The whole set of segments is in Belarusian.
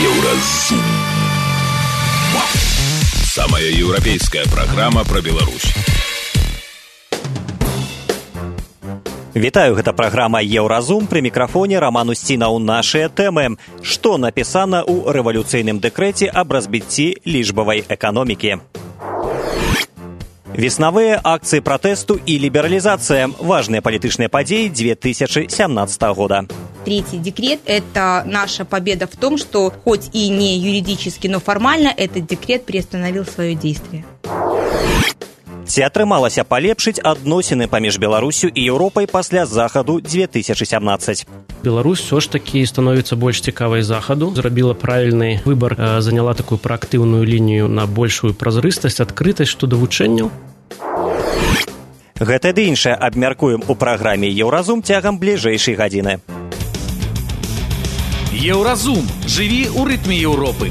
Еўразум. Самая еўрапейская праграма пра Беларусь. Вітаю, гэта праграма «Еўразум», пры мікрафоне Раман Усцінаў. Нашыя тэмы. Што напісана ў рэвалюцыйным дэкрэце аб разбіцці лічбавай эканомікі? Веснавыя акцыі пратэсту і лібералізацыя. Важныя палітычныя падзеі 2017 года. Третий декрет – это наша победа в том, что хоть и не юридически, но формально этот декрет приостановил свое действие. Ці атрымалася палепшыць адносіны паміж Беларусю і Еўропай пасля захаду 2017? Беларусь все ж таки становится больш цікавай захаду, зрабіла правільны выбар, заняла такую праактыўную лінію на большую празрыстасць, адкрытасць што да вучэнняў. Гэта ды іншае абмяркуем у праграме «Еўразум» цягам бліжэйшай гадзіны. Еўразум. Жыві ў рытме Еўропы.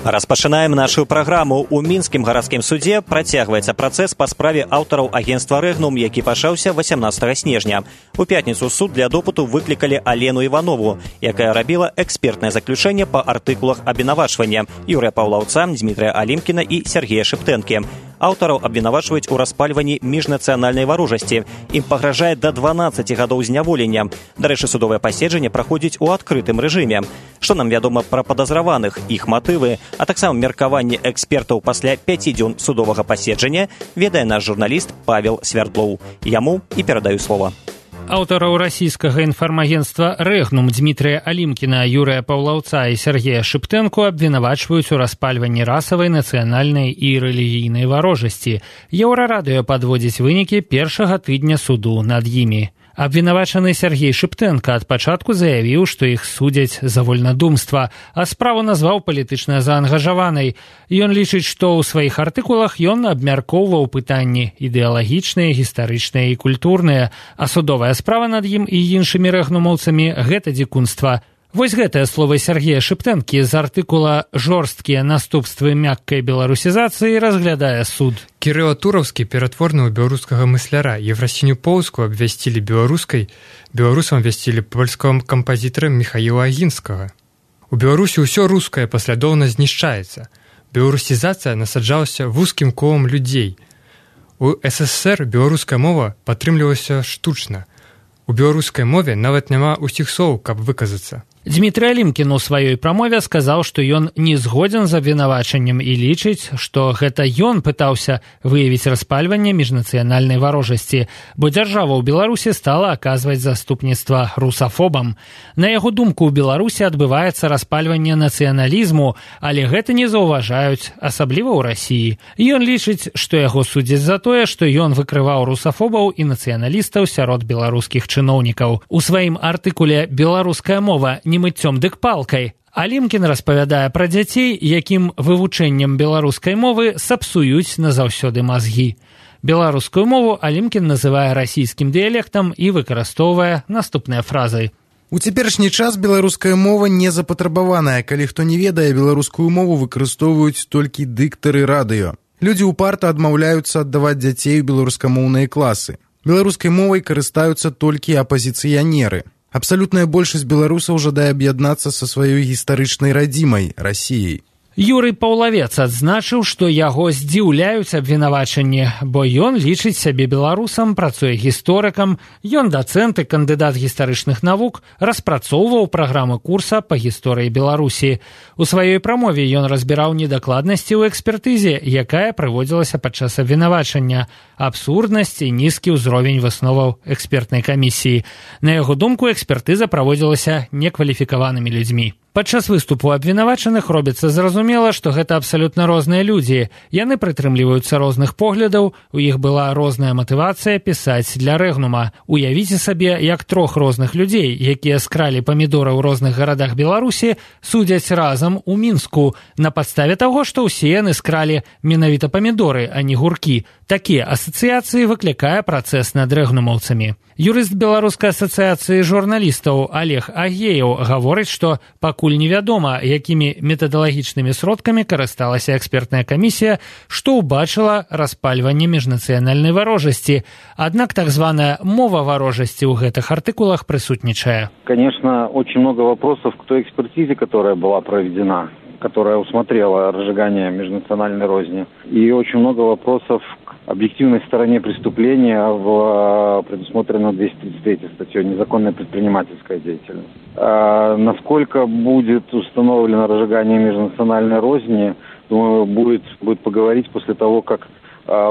Распачынаем нашу праграму. У мінскім гарадскім судзе працягваецца працэс па справе аўтараў агенцтва «Рэгнум», які пачаўся 18 снежня. У пятніцу суд для допыту выклікалі Алену Іванову, якая рабіла экспертнае заключэнне па артыкулах абвінавачвання Юрыя Паўлаўца, Дмітрыя Алімкіна і Сергея Шыптэнкі. Аўтараў абвінавачваюць у распальванні міжнацыянальнай варожасці. Ім пагражае да 12 гадоў зняволення. Дарэчы, судовае паседжанне праходзіць у адкрытым рэжыме. Што нам вядома пра падазраваных, іх матывы, а таксама меркаванне экспертаў пасля 5 дзён судовага паседжання, ведае наш журналіст Павел Свярдлоў. Яму і перадаю слова. Аўтараў расійскага інфармагенцтва «Рэгнум» Дмітрыя Алімкіна, Юрыя Паўлаўца і Сергея Шыптэнку абвінавачваюць у распальванні расавай, нацыянальнай і рэлігійнай варожасці. Еўрарадыё падводзіць вынікі першага тыдня суду над імі. Абвінавачаны Сергей Шыптэнка ад пачатку заявіў, што іх судзяць за вольнадумства, а справу назваў палітычна заангажаванай. Ён лічыць, што ў сваіх артыкулах ён абмяркоўваў пытанні ідэалагічныя, гістарычныя і культурныя, а судовая справа над ім і іншымі рэгнумаўцамі – гэта дзікунства. Вось гэтыя словы Сергея Шыптэнкі з артыкула «Жорсткія наступствы мяккай беларусізацыі» разглядае суд. Кірыла Тураўскі ператворны ў беларускага мысляра. Еврасіню Поўскую абвясцілі беларускай, беларусам абвясцілі польскага кампазітара Міхаіла Агінскага. У Беларусі ўсё рускае паслядоўна знішчаецца. Беларусізацыя насаджалася вузкім колам людзей. У СССР беларуская мова падтрымлівалася штучна. У беларускай мове нават няма ўсіх слоў, каб выказацца. Дмітрый Алімкін у сваёй прамове сказаў, што ён не згодзін з абвінавачаннем і лічыць, што гэта ён пытаўся выявіць распальванне міжнацыянальнай варожасці, бо дзяржава ў Беларусі стала аказваць заступніцтва русафобам. На яго думку, у Беларусі адбываецца распальванне нацыяналізму, але гэта не заўважаюць, асабліва ў Расіі. Ён лічыць, што яго судзяць за тое, што ён выкрываў русафобаў і нацыяналістаў сярод беларускіх чыноўнікаў. У сваім артыкуле «Беларуская мова не мыццём дык палкай» Алімкін распавядае пра дзяцей, якім вывучэннем беларускай мовы сапсуюць назаўсёды мазгі. Беларускую мову Алімкін называе расійскім дыялектам і выкарыстоўвае наступныя фразы. У цяперашні час беларуская мова не запатрабаваная. Калі хто не ведае, беларускую мову выкарыстоўваюць толькі дыктары радыё. Людзі ўпарта адмаўляюцца аддаваць дзяцей у беларускамоўныя класы. Беларускай мовай карыстаюцца толькі апазіцыянеры. Абсалютная большасць беларусаў жадае аб'яднацца са сваёй гістарычнай радзімай – Расіяй. Юрый Паўлавец адзначыў, што яго здзіўляюць абвінавачанні, бо ён лічыць сябе беларусам, працуе гісторыкам, ён дацэнт і кандыдат гістарычных навук, распрацоўваў праграмы курса па гісторыі Беларусі. У сваёй прамове ён разбіраў недакладнасці ў экспертызе, якая праводзілася падчас абвінавачання, абсурднасць і нізкі ўзровень высноваў экспертнай камісіі. На яго думку, экспертыза праводзілася некваліфікаванымі людзьмі. Падчас выступу абвінавачаных робіцца зразумела, што гэта абсалютна розныя людзі. Яны прытрымліваюцца розных поглядаў, у іх была розная матывацыя пісаць для Рэгнума. Уявіце сабе, як трох розных людзей, якія скралі памідоры ў розных гарадах Беларусі, судзяць разам у Мінску на падставе таго, што ўсе яны скралі менавіта памідоры, а не гуркі. Такія асацыяцыі выклікае працэс над рэгнумаўцамі. Юрыст Беларускай асацыяцыі журналістаў Олег Агеев гаворыць, што пакуль невядома, якімі метадалагічнымі сродкамі карысталася экспертная камісія, што ўбачыла распальванне міжнацыянальнай варожасці. Аднак так званая мова варожасці ў гэтых артыкулах прысутнічае. Конечно, очень много вопросов к той экспертизе, которая была проведена, которая усмотрела разжигание межнациональной розни. И очень много вопросов к объективной стороне преступления в предусмотренной 233 статьей «Незаконная предпринимательская деятельность». Насколько будет установлено разжигание межнациональной розни, думаю, будет поговорить после того, как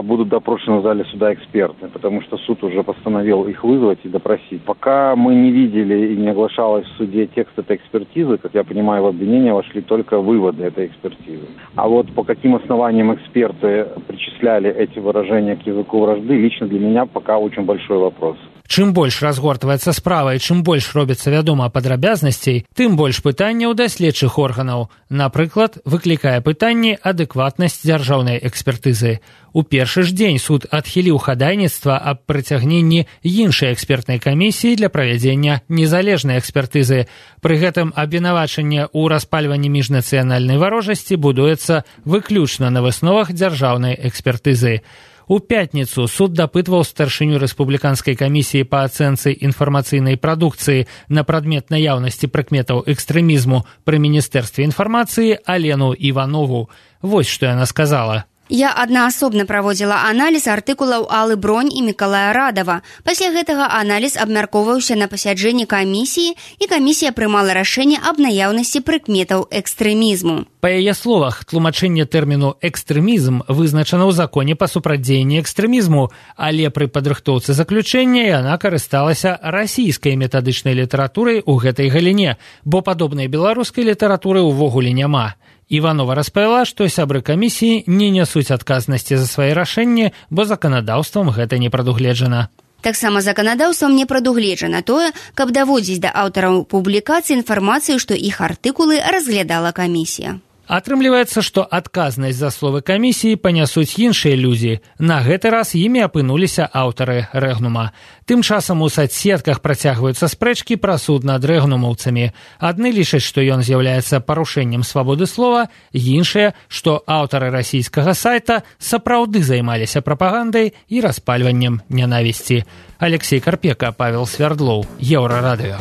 будут допрошены в зале суда эксперты, потому что суд уже постановил их вызвать и допросить. Пока мы не видели и не оглашалось в суде текст этой экспертизы, как я понимаю, в обвинение вошли только выводы этой экспертизы. А вот по каким основаниям эксперты причисляли эти выражения к языку вражды, лично для меня пока очень большой вопрос. Чым больш разгортваецца справа і чым больш робіцца вядома падрабязнасцей, тым больш пытанняў да следчых органаў. Напрыклад, выклікае пытанне адэкватнасць дзяржаўнай экспертызы. У першы ж дзень суд адхіліў хадайніцтва аб прыцягненні іншай экспертнай камісіі для правядзення незалежнай экспертызы. Пры гэтым абвінавачанне ў распальванні міжнацыянальнай варожасці будуецца выключна на высновах дзяржаўнай экспертызы. У пятніцу суд дапытваў старшыню рэспубліканскай камісіі па ацэнцы інфармацыйнай прадукцыі на прадмет наяўнасці прыкметаў экстрэмізму пры міністэрстве інфармацыі Алену Іванову. Вось што яна сказала. Я аднаасобна праводзіла аналіз артыкулаў Аллы Бронь і Мікалая Радава. Пасля гэтага аналіз абмяркоўваўся на пасяджэнні камісіі, і камісія прымала рашэнне аб наяўнасці прыкметаў экстрэмізму. Па яе словах, тлумачэнне тэрміну «экстрэмізм» вызначана ў законе па супрацьдзеянні экстрэмізму, але пры падрыхтоўцы заключэння яна карысталася расійскай метадычнай літаратурай у гэтай галіне, бо падобнай беларускай літаратуры ўвогуле няма. Іванова распавяла, што сябры камісіі не нясуць адказнасці за свае рашэнні, бо заканадаўствам гэта не прадугледжана. Таксама заканадаўствам не прадугледжана тое, каб даводзіць да аўтараў публікацыі інфармацыю, што іх артыкулы разглядала камісія. Атрымліваецца, што адказнасць за словы камісіі панясуць іншыя людзі. На гэты раз імі апынуліся аўтары рэгнума. Тым часам у сацсетках працягваюцца спрэчкі пра суд над рэгнумаўцамі. Адны лічаць, што ён з'яўляецца парушэннем свабоды слова, іншыя, што аўтары расійскага сайта сапраўды займаліся прапагандай і распальваннем нянавісці. Алексей Карпека, Павел Свердлоў, Еўрарадыё.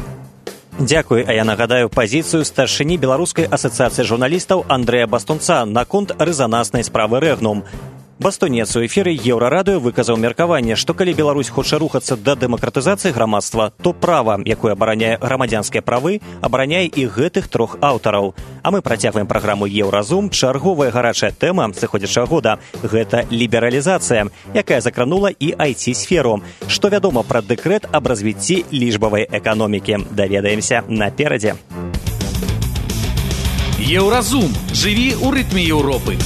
Дзякуй, а я нагадаю пазіцыю старшыні Беларускай асацыяцыі журналістаў Андрэя Бастунца наконт рэзанаснай справы рэгнум. Бастунец у эфіры Еўрарадыё выказаў меркаванне, што калі Беларусь хоча рухацца да дэмакратызацыі грамадства, то права, якое абараняе грамадзянскія правы, абараняе і гэтых трох аўтараў. А мы працягваем праграму «Еўразум». Чарговая гарачая тэма сыходзячага года – гэта лібералізацыя, якая закранула і IT-сферу. Што вядома пра дэкрэт аб развіцці лічбавай эканомікі? Даведаемся наперадзе. Еўразум. Жыві ў рытме Еўропы.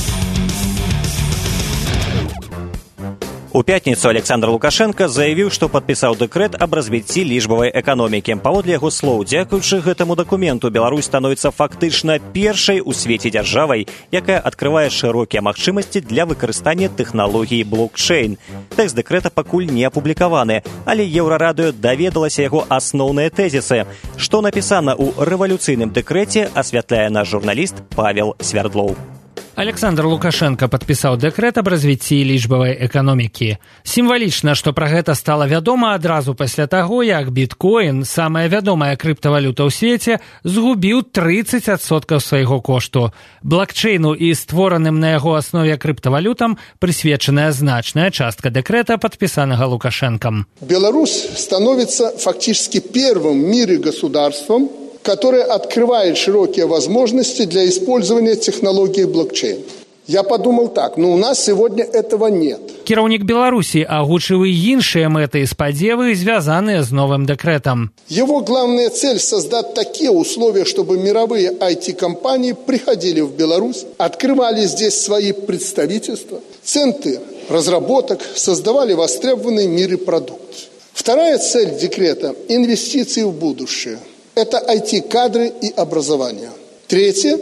У пятніцу Александр Лукашенко заявіў, што падпісаў дэкрэт аб развіцці лічбавай эканомікі. Паводле яго слоў, дзякуючы гэтаму дакументу, Беларусь становіцца фактычна першай у свеце дзяржавай, якая адкрывае шырокія магчымасці для выкарыстання тэхналогіі блокчейн. Тэкст дэкрэта пакуль не апублікаваны, але Еўрарадыё даведалася яго асноўныя тэзісы. Што напісана ў рэвалюцыйным дэкрэце, асвятляе наш журналіст Павел Свердлоў. Александр Лукашенко падпісаў дэкрэт аб развіцці лічбавай эканомікі. Сімвалічна, што пра гэта стала вядома адразу пасля таго, як біткоін, самая вядомая крыптавалюта ў свеце, згубіў 30% свайго кошту. Блокчейну і створаным на яго аснове крыптавалютам прысвечаная значная частка дэкрэта, падпісанага Лукашенком. Беларусь становится фактически первым в мире государством, которое открывает широкие возможности для использования технологии блокчейн. Я подумал так, но у нас сегодня этого нет. Кіраўнік Беларусі агучыў і іншыя мэты і спадзевы, звязаныя з новым дэкрэтам. Его главная цель – создать такие условия, чтобы мировые IT-компании приходили в Беларусь, открывали здесь свои представительства, центры разработок, создавали востребованный в мире продукт. Вторая цель декрета – инвестиции в будущее. Это IT-кадры и образование. Третье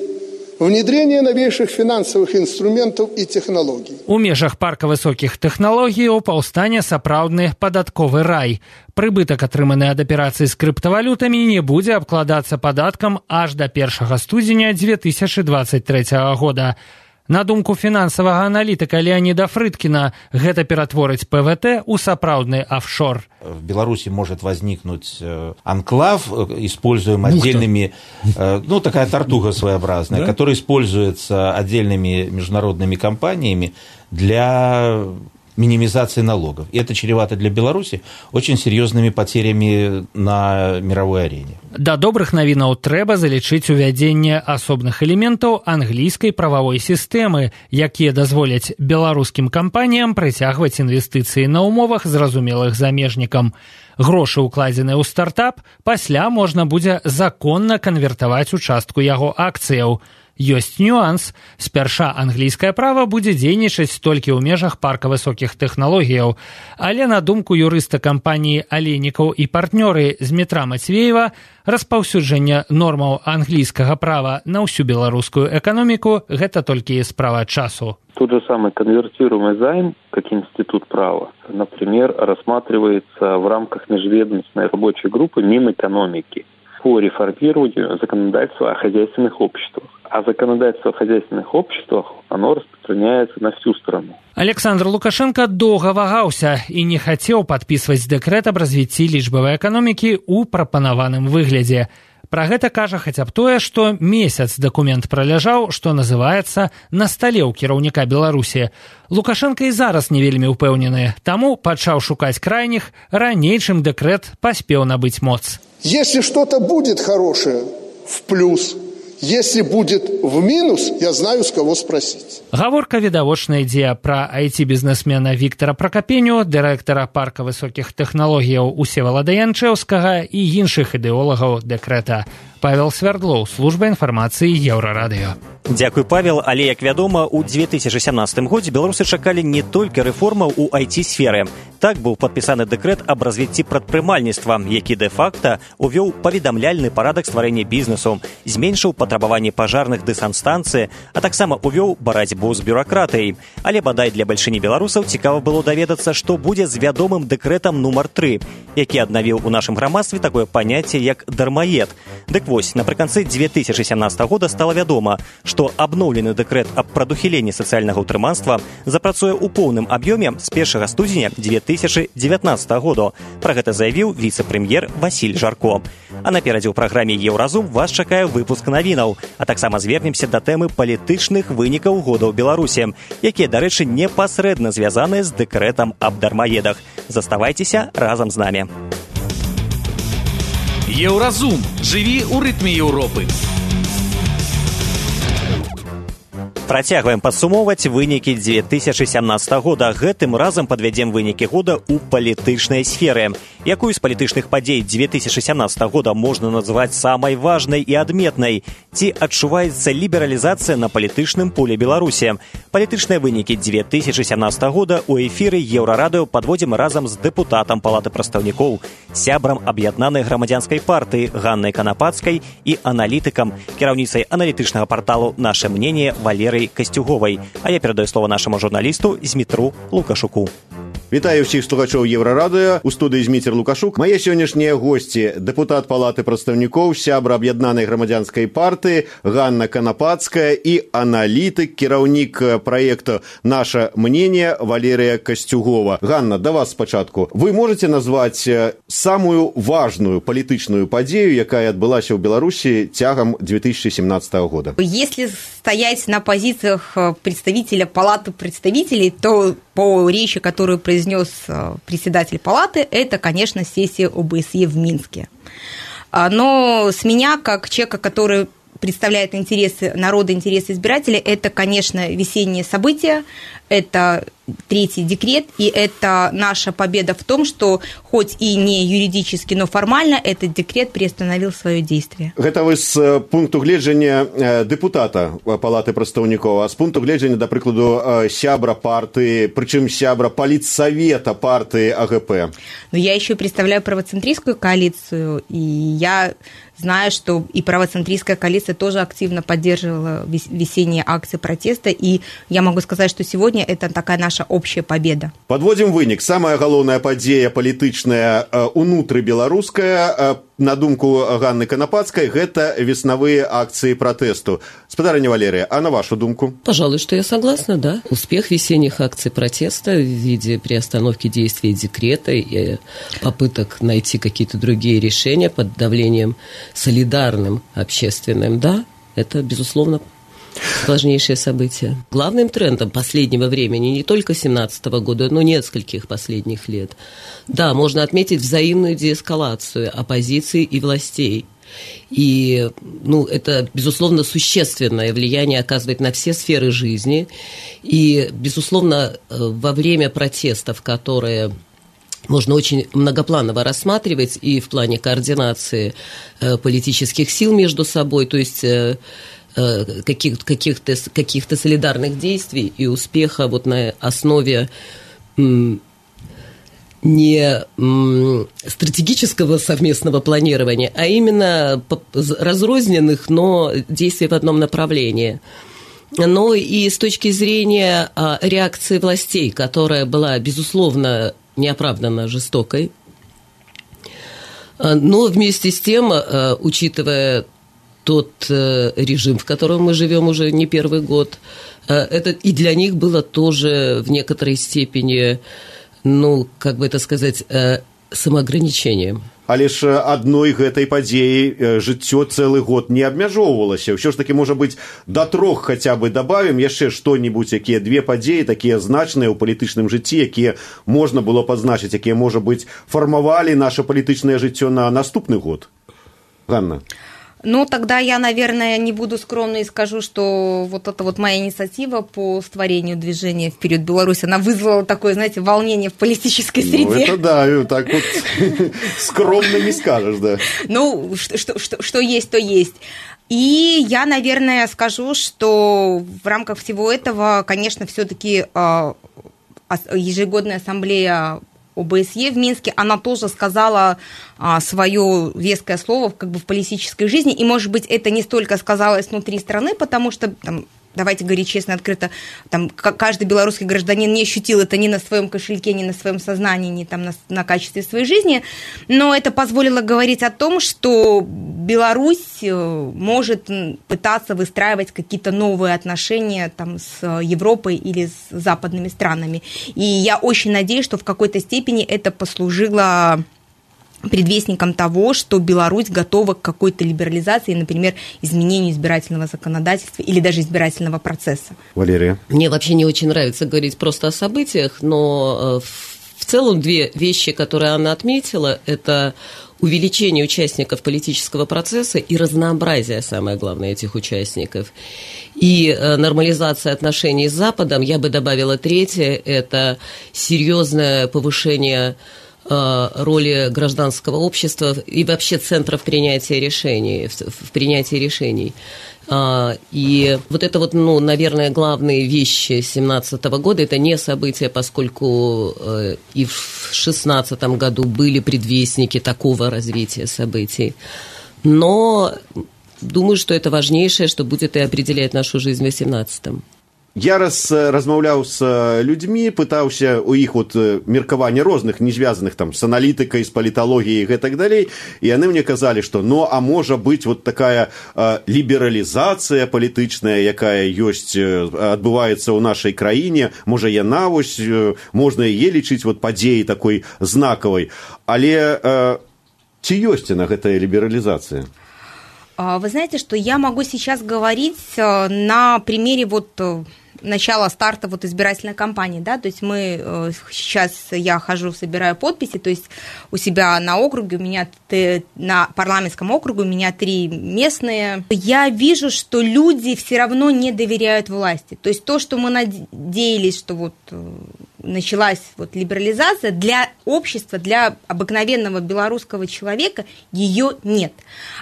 внедрение новейших финансовых инструментов и технологий. У межах парка высокіх тэхналогіяў паўстане сапраўдны падатковы рай. Прыбытак, атрыманы ад аперацый з крыптавалютамі, не будзе абкладацца падаткам аж да 1 студзеня 2023 года. На думку фінансавага аналітыка Леонида Фрыдкина, гэта ператворыць ПВТ у сапраўдны офшор. В Беларуси может возникнуть анклав, используем отдельными, такая тартуга своеобразная, да? Которая используется отдельными международными компаниями для минимизации налогов. И это чревато для Беларуси очень серьезными потерями на мировой арене. Да добрых навінаў трэба залічыць увядзенне асобных элементаў англійскай прававой сістэмы, якія дазволяць беларускім кампаніям прыцягваць інвестыцыі на умовах, зразумелых замежнікам. Грошы, укладзеныя ў стартап, пасля можна будзе законна канвертаваць у частку яго акцыяў. Ёсць нюанс. Спярша англійскае права будзе дзейнічаць толькі ў межах парка высокіх тэхналогіяў. Але на думку юрыста кампаніі «Алейнікаў і партнёры» Змітра Мацвеева, распаўсюджанне нормаў англійскага права на ўсю беларускую эканоміку – гэта толькі справа часу. Тот же самый конвертируемый займ, как институт права, например, рассматривается в рамках межведомственной рабочей группы Минэкономики по реформированию законодательства о хозяйственных обществах. А законодательство о хозяйственных обществах, оно распространяется на всю страну. Александр Лукашенко доўга вагаўся і не хацеў падпісваць дэкрэт аб развіцці лічбавай эканомікі ў прапанаваным выглядзе. Пра гэта кажа хаця б тое, што месяц дакумент праляжаў, што называецца, на стале ў кіраўніка Беларусі. Лукашенко і зараз не вельмі ўпэўнены, таму пачаў шукаць крайніх, раней, чым дэкрэт паспеў набыць моц. Если что-то будет хорошее, в плюс. Если будет в минус, я знаю, с кого спросить. Гаворка відавочна ідзе пра IT-бізнесмена Віктара Пракапеню, дырэктара парка высокіх тэхналогіяў Усевалада Янчэўскага і іншых ідэолагаў дэкрэта. Павел Свердлоў, служба інфармацыі Еўрарадыё. Дзякуй, Павел, але, як вядома, у 2017 годзе беларусы чакалі не толькі рэформаў у IT-сферы. Так быў падпісаны дэкрэт аб развіцці прадпрымальніцтва, які дэ-факта увёў паведамляльны парадак стварэння бізнесу, зменшыў патрабаванні пажарных дысанстанцыі, а таксама увёў барацьбу з бюракратыяй. Але бадай для бальшыні беларусаў цікава было даведацца, што будзе з вядомым дэкрэтам нумар 3, які аднавіў у нашым грамадстве такое паняцце, як дармаед. Дык вось, напрыканцы 2017 года стала вядома, што абноўлены дэкрэт аб прадухіленні сацыяльнага ўтрыманства запрацуе ў поўным аб'ёме з 1 студзеня 2019 года. Пра гэта заявіў віцэ-прэм'ер Васіль Жарко. А наперадзе ў праграме «Еўразум» вас чакае выпуск навінаў, а таксама звернемся да тэмы палітычных вынікаў года ў Беларусі, якія, дарэчы, непасрэдна звязаныя з дэкрэтам аб дармаедах. Заставайцеся разам з намі. Еўразум. Жыві ў рытме Еўропы. Працягваем падсумоўваць вынікі 2017 года. Гэтым разам падвядзем вынікі года ў палітычнай сферы. Якую з палітычных падзей 2017 года можна назваць самай важнай і адметнай? Ці адчуваецца лібералізацыя на палітычным поле Беларусі? Палітычныя вынікі 2017 года ў эфіры Еўрарадыё падводзім разам з дэпутатам Палаты прадстаўнікоў, сябрам аб'яднанай грамадзянскай партыі Ганнай Канапацкай і аналітыкам, кіраўніцай аналітычнага парталу «Наше мнение» Валерой Костюговой. А я передаю слово нашему журналисту Змітру Лукашуку. Вітаю всіх слухачоў Еўрарадыё. У студыі Зміцер Лукашук. Мае сённяшнія госці: дэпутат Палаты прадстаўнікоў, сябра аб'яднанай грамадзянскай партыі Ганна Канапацкая і аналітык, кіраўнік праекта «Наше мнение» Валерия Костюгова. Ганна, да вас спачатку. Вы можете назваць самую важную палітычную падзею, якая адбылася ў Беларусі цягам 2017 года? Если стоять на позициях представителя Палаты представителей, то по речи, которую произнес председатель Палаты, это, конечно, сессия ОБСЕ в Минске. Но с меня, как человека, который представляет интересы народа, интересы избирателей, это, конечно, весенние события, это третий декрет, и это наша победа в том, что хоть и не юридически, но формально этот декрет приостановил свое действие. Гэта вы з пункту гледжання дэпутата палаты прадстаўнікоў, а з пункту гледжання, да прыкладу, сябра партыі, прычым сябра палітсавета партыі АГП. Но я еще представляю правоцентристскую коалицию, и я знаю, что и правоцентристская коалиция тоже активно поддерживала весенние акции протеста, и я могу сказать, что сегодня это такая наша общая победа. Подводим вынік. Самая галоўная падзея палітычная унутры беларуская, на думку Ганны Канапацкай, гэта веснавыя акции протесту. Спадарыня Валерия, а на вашу думку? Пожалуй, что я согласна, да. Успех весенних акций протеста в виде приостановки действия декрета и попыток найти какие-то другие решения под давлением солидарным, общественным, да, это, безусловно, важнейшее событие. Главным трендом последнего времени, не только 2017 года, но нескольких последних лет, да, можно отметить взаимную деэскалацию оппозиции и властей. И, это, безусловно, существенное влияние оказывает на все сферы жизни. И, безусловно, во время протестов, которые можно очень многопланово рассматривать и в плане координации политических сил между собой, то есть каких-то солидарных действий и успеха вот на основе не стратегического совместного планирования, а именно разрозненных, но действий в одном направлении. Но и с точки зрения реакции властей, которая была, безусловно, неоправданно жестокой, но вместе с тем, учитывая тот режим, в котором мы живем уже не первый год, это и для них было тоже в некоторой степени, как бы это сказать, самоограничением. Але ж адной гэтай падзеі жыццё цэлы год не абмяжоўвалася. Ўсё ж такі, можа быць, да 3 хаця бы добавім яшчэ што-нибудь, якія 2 падзеі, такія значныя ў палітычным жыцці, якія можна было пазначыць, якія, можа быць, фармавалі наше палітычнае жыццё на наступны год. Ганна. Тогда я, наверное, не буду скромной и скажу, что вот эта вот моя инициатива по створению движения «Вперед, Беларусь», она вызвала такое, знаете, волнение в политической среде. Это да, так вот скромно не скажешь, да. Что есть, то есть. И я, наверное, скажу, что в рамках всего этого, конечно, все-таки ежегодная ассамблея ОБСЕ в Минске, она тоже сказала свое веское слово как бы в политической жизни, и, может быть, это не столько сказалось внутри страны, потому что, давайте говорить честно, открыто, каждый белорусский гражданин не ощутил это ни на своем кошельке, ни на своем сознании, ни на качестве своей жизни, но это позволило говорить о том, что Беларусь может пытаться выстраивать какие-то новые отношения с Европой или с западными странами. И я очень надеюсь, что в какой-то степени это послужило предвестником того, что Беларусь готова к какой-то либерализации, например, изменению избирательного законодательства или даже избирательного процесса. Валерия? Мне вообще не очень нравится говорить просто о событиях, но в целом 2 вещи, которые она отметила, это увеличение участников политического процесса и разнообразие, самое главное, этих участников. И нормализация отношений с Западом, я бы добавила 3, это серьезное повышение роли гражданского общества и вообще центров принятия решений, в принятии решений. И вот это вот, наверное, главные вещи 2017 года, это не события, поскольку и в 2016 году были предвестники такого развития событий. Но думаю, что это важнейшее, что будет и определять нашу жизнь в 2018. Я размаўляў з людзьмі, пытаўся у іх меркаванне розных, не звязаных з аналітыкай, з паліталогіяй і гэтак далей, і яны мне казалі, што а можа быць такая лібералізацыя палітычная, якая ёсць, адбываецца ў нашай краіне, можа яна можна яе лічыць падзеяй такой знакавай, але ці ёсць яна гэтая лібералізацыя? Вы знаете, что я могу сейчас говорить на примере начала старта вот избирательной кампании, да, то есть сейчас я хожу, собираю подписи, то есть у себя на округе, на парламентском округе у меня 3 местные. Я вижу, что люди все равно не доверяют власти, то есть то, что мы надеялись, что вот началась вот либерализация, для общества, для обыкновенного белорусского человека ее нет.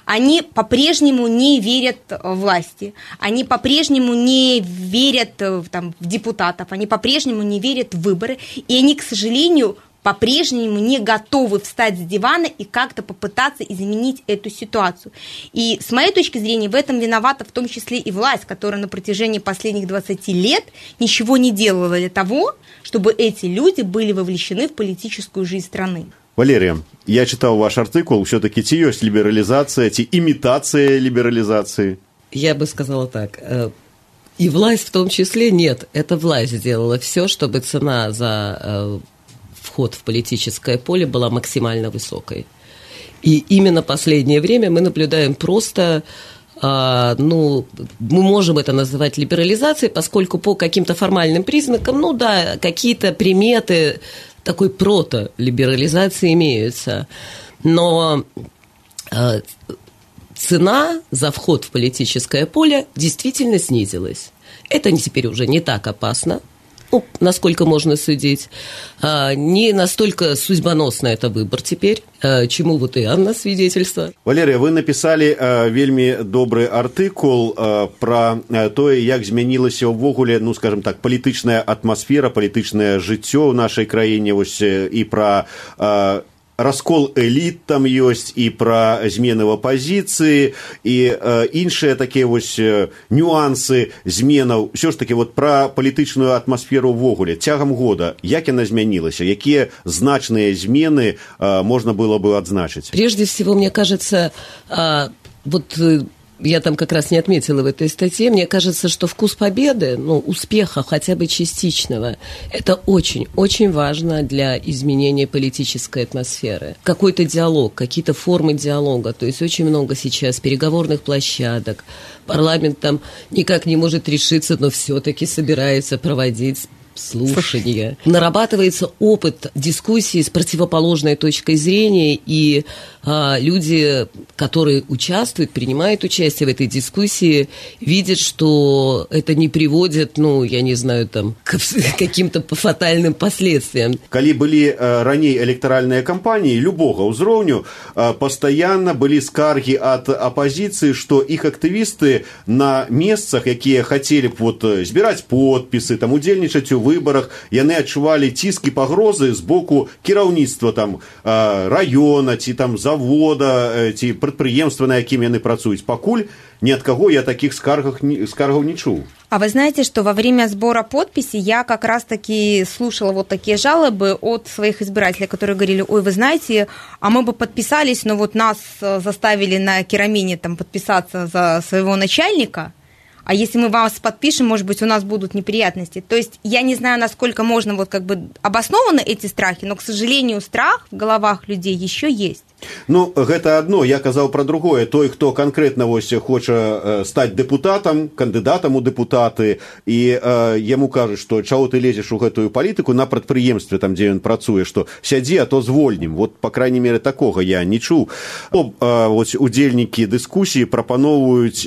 Они по-прежнему не верят власти, они по-прежнему не верят в депутатов, они по-прежнему не верят в выборы, и они, к сожалению, по-прежнему не готовы встать с дивана и как-то попытаться изменить эту ситуацию. И с моей точки зрения в этом виновата в том числе и власть, которая на протяжении последних 20 лет ничего не делала для того, чтобы эти люди были вовлечены в политическую жизнь страны. Валерия, я читал ваш артикул, все-таки ці есть либерализация, ці имитация либерализации? Я бы сказала так. И власть в том числе нет. Это власть сделала все, чтобы цена за вход в политическое поле была максимально высокой. И именно последнее время мы наблюдаем просто, мы можем это называть либерализацией, поскольку по каким-то формальным признакам, какие-то приметы такой прото-либерализации имеются. Но цена за вход в политическое поле действительно снизилась. Это теперь уже не так опасно, насколько можно судить. Не настолько судьбоносно это выбор теперь, чему вот и Анна свидетельство. Валерия, вы написали вельмі добры артыкул про тое, як змянілася ўвогуле, скажем так, палітычная атмасфера, палітычнае жыццё ў нашай краіне, і про раскол эліт там ёсць, і пра змены ў апазіцыі, і іншыя такія нюансы зменаў. Ўсё ж такі пра палітычную атмасферу ўвогуле цягам года, як яна змянілася, якія значныя змены можна было бы адзначыць? Прежде всего, мне кажется, я там как раз не отметила в этой статье, мне кажется, что вкус победы, успеха хотя бы частичного, это очень-очень важно для изменения политической атмосферы. Какой-то диалог, какие-то формы диалога, то есть очень много сейчас переговорных площадок, парламент там никак не может решиться, но все-таки собирается проводить слушания. Нарабатывается опыт дискуссии с противоположной точкой зрения, и люди, которые участвуют, принимают участие в этой дискуссии, видят, что это не приводит, к каким-то фатальным последствиям. Калі былі раней электаральныя кампаніі любога ўзроўню, пастаянна былі скаргі ад апазіцыі, што іх актывісты на месцах, якія хацелі б збіраць подпісы, удзельнічаць у выборах, яны адчувалі ціск і пагрозы з боку кіраўніцтва раёна ці завода ці прадпрыемства, на якім яны працуюць. Пакуль ни от кого я таких скаргов не чуў. А вы знаете, что во время сбора подписей я как раз-таки слушала такие жалобы от своих избирателей, которые говорили: ой, вы знаете, а мы бы подписались, но нас заставили на Керамине подписаться за своего начальника, а если мы вас подпишем, может быть, у нас будут неприятности. То есть я не знаю, насколько можно обоснованы эти страхи, но, к сожалению, страх в головах людей еще есть. Гэта одно, я казаў пра другое. Той, хто канкрэтна хоча стаць дэпутатам, кандыдатам у дэпутаты, і яму кажуць, што чаго ты лезеш у гэтую палітыку на прадпрыемстве, там, дзе ён працуе, што сядзі, а то звольнім. Па крайней мере, такога я не чуў. Удзельнікі дыскусіі прапаноўваюць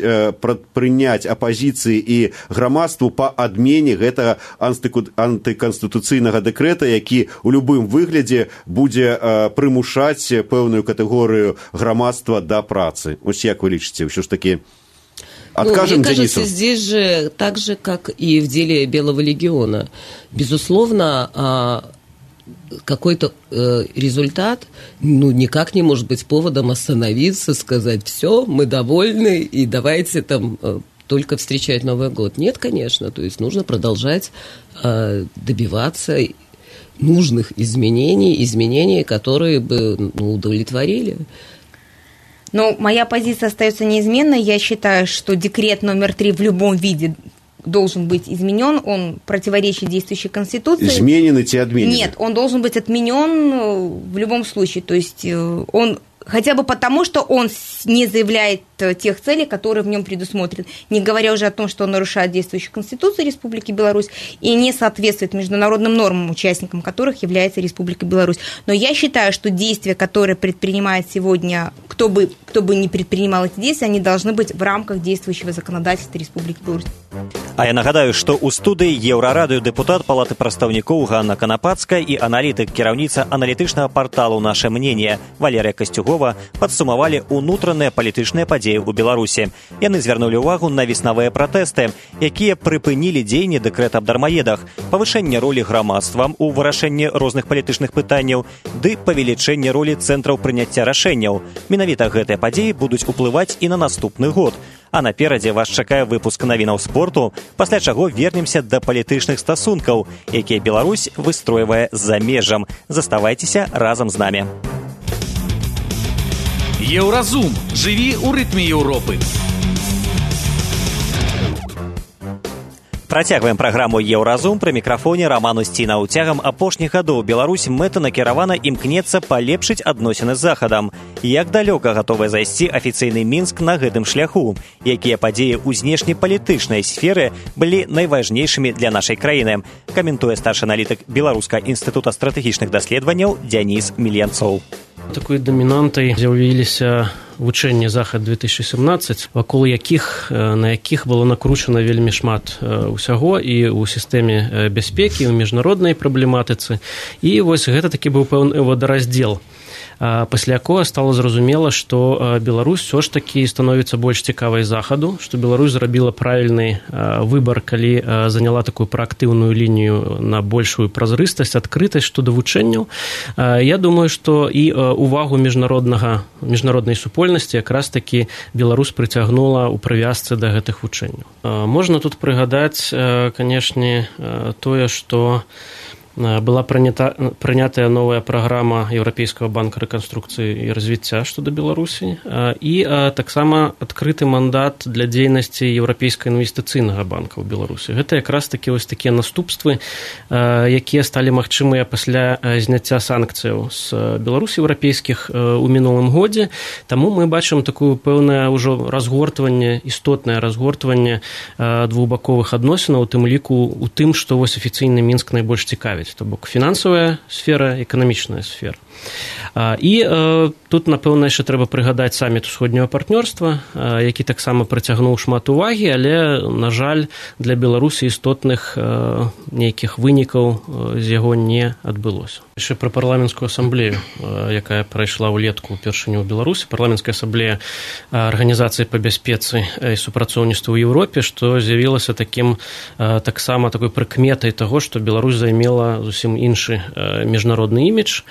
прыняць апазіцыі і грамадству па адмене гэтага антыканстытуцыйнага дэкрэта, які ў любым выглядзе будзе прымушаць пэўную категорию громадства до працы. Як вы лічыце, ўсё ж таки откажем Денису? Мне кажется, здесь же так же, как и в деле Белого легиона. Безусловно, какой-то результат никак не может быть поводом остановиться, сказать: все, мы довольны, и давайте только встречать Новый год. Нет, конечно, то есть нужно продолжать добиваться нужных изменений, которые бы удовлетворили. Моя позиция остается неизменной. Я считаю, что декрет номер 3 в любом виде должен быть изменен, он противоречит действующей Конституции. Изменен и отменен? Нет, он должен быть отменен в любом случае. То есть он хотя бы потому, что он не заявляет тех целей, которые в нем предусмотрены, не говоря уже о том, что он нарушает действующую Конституцию Республики Беларусь и не соответствует международным нормам, участником которых является Республика Беларусь. Но я считаю, что действия, которые предпринимает сегодня, кто бы ни предпринимал эти действия, они должны быть в рамках действующего законодательства Республики Беларусь. А я нагадаю, што ў студыі Еўрарадыё дэпутат Палаты прадстаўнікоў Ганна Канапацкая і аналітык, кіраўніца аналітычнага парталу «Наше мнение» Валерия Костюгова падсумавалі ўнутраныя палітычныя падзеі ў Беларусі. Яны звярнулі ўвагу на веснавыя пратэсты, якія прыпынілі дзеянне дэкрэта аб дармаедах, павышэнне ролі грамадства ў вырашэнні розных палітычных пытанняў ды павелічэнне ролі цэнтраў прыняцця рашэнняў. Менавіта гэтыя падзеі будуць уплываць і на наступны год. А наперадзе вас чакае выпуск навінаў спорту, пасля чаго вернемся да палітычных стасункаў, якія Беларусь выстройвае за межам. Заставайцеся разам з намі. Еўразум. Жыві ў рытме Еўропы. Працягваем праграму «Еўразум». Пры мікрафоне Раман Усцінаў. Цягам апошніх гадоў Беларусь мэтанакіравана імкнецца палепшыць адносіны з Захадам. Як далёка гатовы зайсці афіцыйны Мінск на гэтым шляху? Якія падзеі ў знешнепалітычнай сферы былі найважнейшымі для нашай краіны? Каментуе старшы аналітык Беларускага інстытута стратэгічных даследаванняў Дзяніс Міленцоў. Такой дамінантай з'явіліся вучэнні «Захад-2017», вакол на якіх было накручана вельмі шмат усяго і ў сістэме бяспекі, ў міжнароднай праблематыцы. І вось гэта такі быў пэўны водараздзел. Пасля якога стала зразумела, што Беларусь ўсё ж такі становіцца больш цікавай Захаду, што Беларусь зрабіла правільны выбар, калі заняла такую праактыўную лінію на большую празрыстасць, адкрытасць шчодо вучэнняў. Я думаю, што і увагу міжнароднай супольнасці якраз такі Беларусь прыцягнула ў прывязцы да гэтых вучэнняў. Можна тут прыгадаць, канешне, тое, што была прынятая новая праграма Еўрапейскага банка рэканструкцыі і развіцця шчодо Беларусі і таксама адкрыты мандат для дзейнасці Еўрапейскага інвестыцыйнага банка ў Беларусі. Гэта якраз такі вось такія наступствы, якія сталі магчымыя пасля зняцця санкцыяў з Беларусі еўрапейскіх у мінулым годзе. Таму мы бачым такое пэўнае ўжо разгортванне, істотнае разгортванне двухбаковых адносінаў, у тым ліку у тым, што вось афіцыйны Мінск найбольш цікавіць. То бок фінансавая сфера, эканамічная сфера. І тут, напэўна, яшчэ трэба прыгадаць саміт усходняга партнёрства, які таксама прыцягнуў шмат увагі, але, на жаль, для Беларусі істотных нейкіх вынікаў з яго не адбылося. Яшчэ пра парламенцкую асамблею, якая прайшла ўлетку ўпершыню ў Беларусі. Парламенцкая асамблея Арганізацыі па бяспецы і супрацоўніцтву ў Еўропе, што з'явілася таксама такой прыкметай таго, што Беларусь займела зусім іншы міжнародны імідж,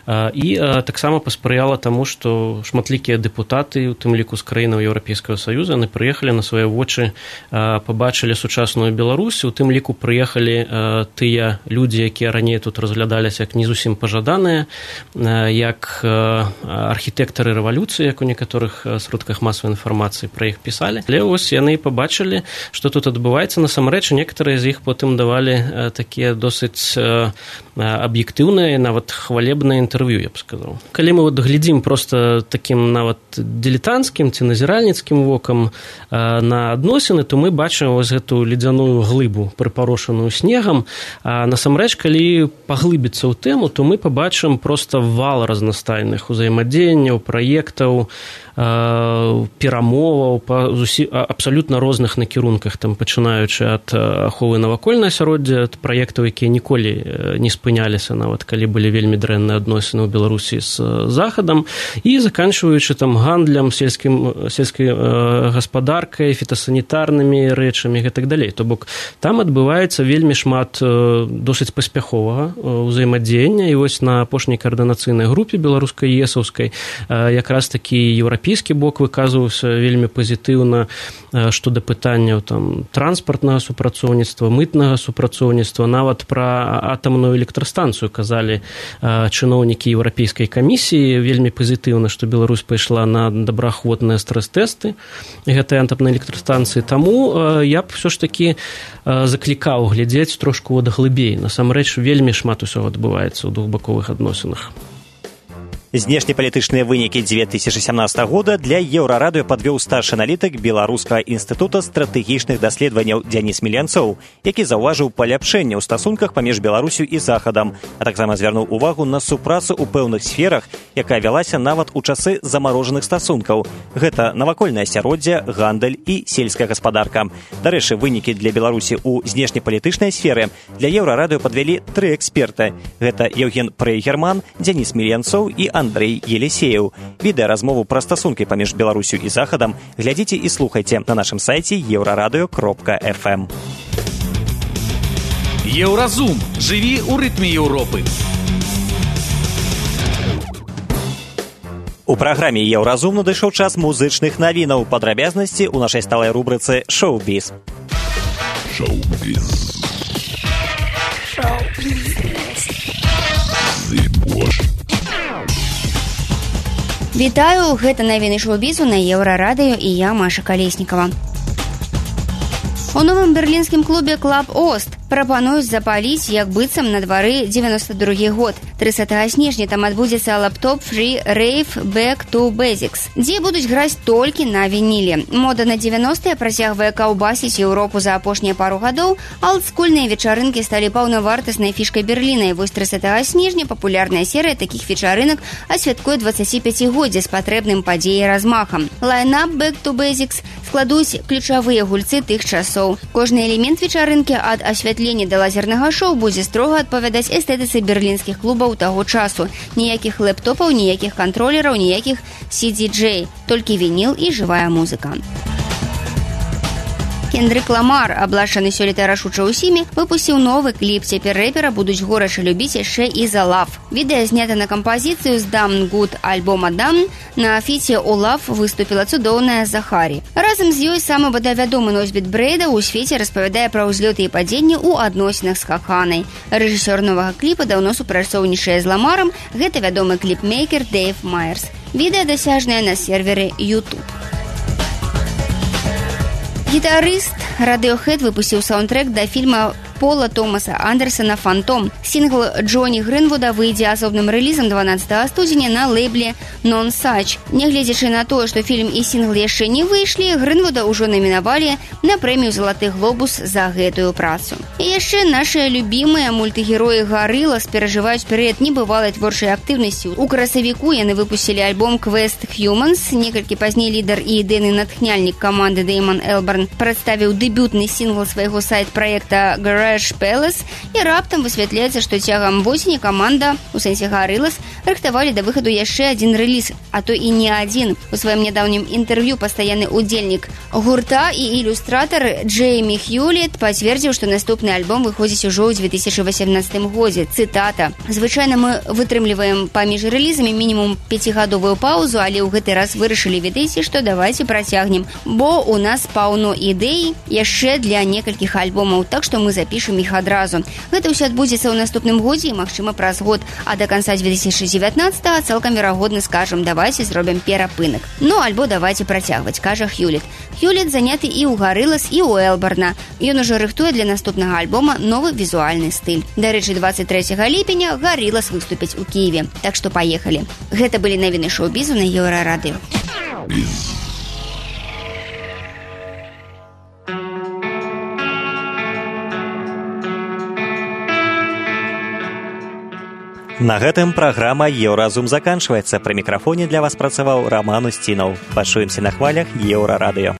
і таксама паспрыяла таму, што шматлікія дэпутаты, у тым ліку з краінаў Еўрапейскага Саюза, яны прыехалі на свае вочы, пабачылі сучасную Беларусь, у тым ліку прыехалі тыя людзі, якія раней тут разглядаліся як не зусім пажаданыя, як архітэктары рэвалюцыі, як у некаторых сродках масавай інфармацыі пра іх пісалі. Але вось яны пабачылі, што тут адбываецца. Насамрэч, некаторыя з іх потым давалі такія досыць аб'ектыўныя, нават хвалебныя інтэрв'ю, я б сказаў. Калі мы глядзім проста такім нават дилетантскім ці назіральніцкім вокам на адносіны, то мы бачым вось гэту ледзяную глыбу, прыпарошаную снегам. А насамрэч, калі паглыбіцца ў тэму, то мы пабачым проста вал разнастайных узаемадзеянняў, праектаў, перамоваў па абсалютна розных накірунках, там пачынаючы ад аховы навакольнага асяроддзя, ад праектаў, якія ніколі не спыняліся, нават калі былі вельмі дрэнныя адносіны ў Беларусі з Захадам, і заканчваючы там гандлем, сельскай гаспадаркай, фітасанітарнымі рэчамі і так далей. То бок там адбываецца вельмі шмат досыць паспяховага ўзаемадзеяння, і вось на апошняй каардынацыйнай групе беларускай есаўскай якраз такі еўрапейскі бок выказваўся вельмі пазітыўна што да пытанняў там транспартнага супрацоўніцтва, мытнага супрацоўніцтва, нават пра атамную электрастанцыю казалі чыноўнікі еўрапейскай камісіі вельмі пазітыўна, што Беларусь пайшла на добраахвотныя стрэс-тэсты гэтай атамнай электрастанцыі. Таму я б ўсё ж такі заклікаў глядзець трошку глыбей. Насамрэч вельмі шмат усього адбываецца ў двухбаковых адносінах. Знешнепалітычныя вынікі 2017 года для Еўрарадыё падвёў старшы аналітык Беларускага інстытута стратэгічных даследаванняў Дзяніс Міленцоў, які заўважыў паляпшэнне ў стасунках паміж Беларусю і Захадам, а таксама звярнуў увагу на супрацу ў пэўных сферах, якая вялася нават у часы замарожаных стасункаў. Гэта навакольнае асяроддзе, гандаль і сельская гаспадарка. Дарэчы, вынікі для Беларусі ў знешнепалітычнай сферы для Еўрарадыё падвялі 3 эксперты. Гэта Евген Прейгерман, Дзяніс Міленцоў і Андрей Елисеев. Відэаразмову пра стасункі паміж Беларусю і Захадам глядзіце і слухайце на нашым сайце euraradio.fm. Еўразум. Жыві ў рытме Еўропы. У праграме Еўразум надышоў час музычных навінаў. Падрабязнасці ў нашай сталай рубрыцы «Шоу-біз». Шоу-біз. Вітаю, гэта навіны шоу-бізу на Еўрарадыё і я, Маша Калеснікава. У новым берлінскім клубе «Клаб Ост» прапануюць запаліць, як быццам на двары 92 год. 30 снежня там адбудзецца лаптоп Free Rave Back to Basics, дзе будуць граць толькі на вініле. Мода на 90-е працягвае каўбасіць Еўропу за апошнія пару гадоў, а олдскульныя вечарынкі сталі паўнавартаснай фішкай Берліна, і вось 30 снежня папулярная серыя такіх вечарынак асвяткуе 25-годдзе з патрэбным падзеяй размахам. Лайнап Back to Basics складуць ключавыя гульцы тых часоў. Кожны элемент вечарынкі ад асвятлення да лазернага шоу будзе строга адпавядаць эстэтыцы берлінскіх клубаў таго часу. Ніякіх лэптопаў, ніякіх кантролераў, ніякіх CD-J, толькі вініл і жывая музыка. Кендрик Ламар, аблашчаны сёлета рашуча ўсімі, выпусціў новы кліп. Цяпер рэпера будуць горача любіць яшчэ і за Love. Відэа знята на кампазіцыю з Damn Good альбома Damn. На фіце у Love выступіла цудоўная Захарі. Разам з ёй самы бадай вядомы носьбіт брэйда ў свеце распавядае пра ўзлёты і падзенні ў адносінах з Хаханай. Рэжысёр новага кліпа даўно супрацоўнічае з Ламарам. Гэта вядомы кліпмейкер Дэйв Майерс. Відэа дасяжнае на сервере YouTube. Гітарыст Radiohead выпусціў саундтрэк да фільма Пола Томаса Андерсона «Фантом». Сінгл Джоні Гринвуда выйдзе асобным рэлізам 12 студзеня на лейбле Non-Such. Нягледзячы на тое, што фільм і сінгл яшчэ не выйшлі, Гринвуда ўжо намінавалі на прэмію «Залаты глобус» за гэтую працу. І яшчэ нашыя любімыя мультыгероі Гарылас перажываюць перыяд небывалай творчай актыўнасці. У красавіку яны выпусцілі альбом «Quest Humans». Некалькі пазней лідар і ідэйны натхняльнік каманды Дэйман Элбарн прадставіў дэбютны сінгл свайго сайт-праекта «Garage Palace», і раптам высвятляецца, што цягам восені каманда, у сэнсе Гарылас, рыхтавалі да выхаду яшчэ адзін рэліз, а то і не адзін. У сваім нядаўнім інтэрв'ю пастаянны удзельнік гурта і ілюстратар Джеймі Хьюлет пацвердзіў, што наступны альбом выходзіць ужо ў 2018 годзе. Цытата: «Звычайна мы вытрымліваем паміж рэлізамі мінімум 5-гадовую паузу, але ў гэты раз вырашылі, ведаеце, што давайце працягнем, бо у нас паўно ідэй яшчэ для некалькіх альбомаў, так што мы запішем іх адразу. Гэта ўсё адбудзецца ў наступным годзе і, магчыма, праз год, а да канца 2019-го цалкам верагодна скажам, давайце зробім перапынак. Ну, альбо давайце працягваць», кажа Хьюлет. Хьюлет заняты і ў Гарылас, і ў Элбарна. Ён ужо рыхтуе для наступнага альбома новы візуальны стыль. Дарэчы, 23 ліпеня Гарылас выступяць у Кіеве. Так што паехалі. Гэта былі навіны шоу-бізу на Еўрарадыё. На гэтым праграма «Еўразум» заканчваецца. Пры мікрафоне для вас працаваў Раман Устінаў. Пачуемся на хвалях Еўрарадыё.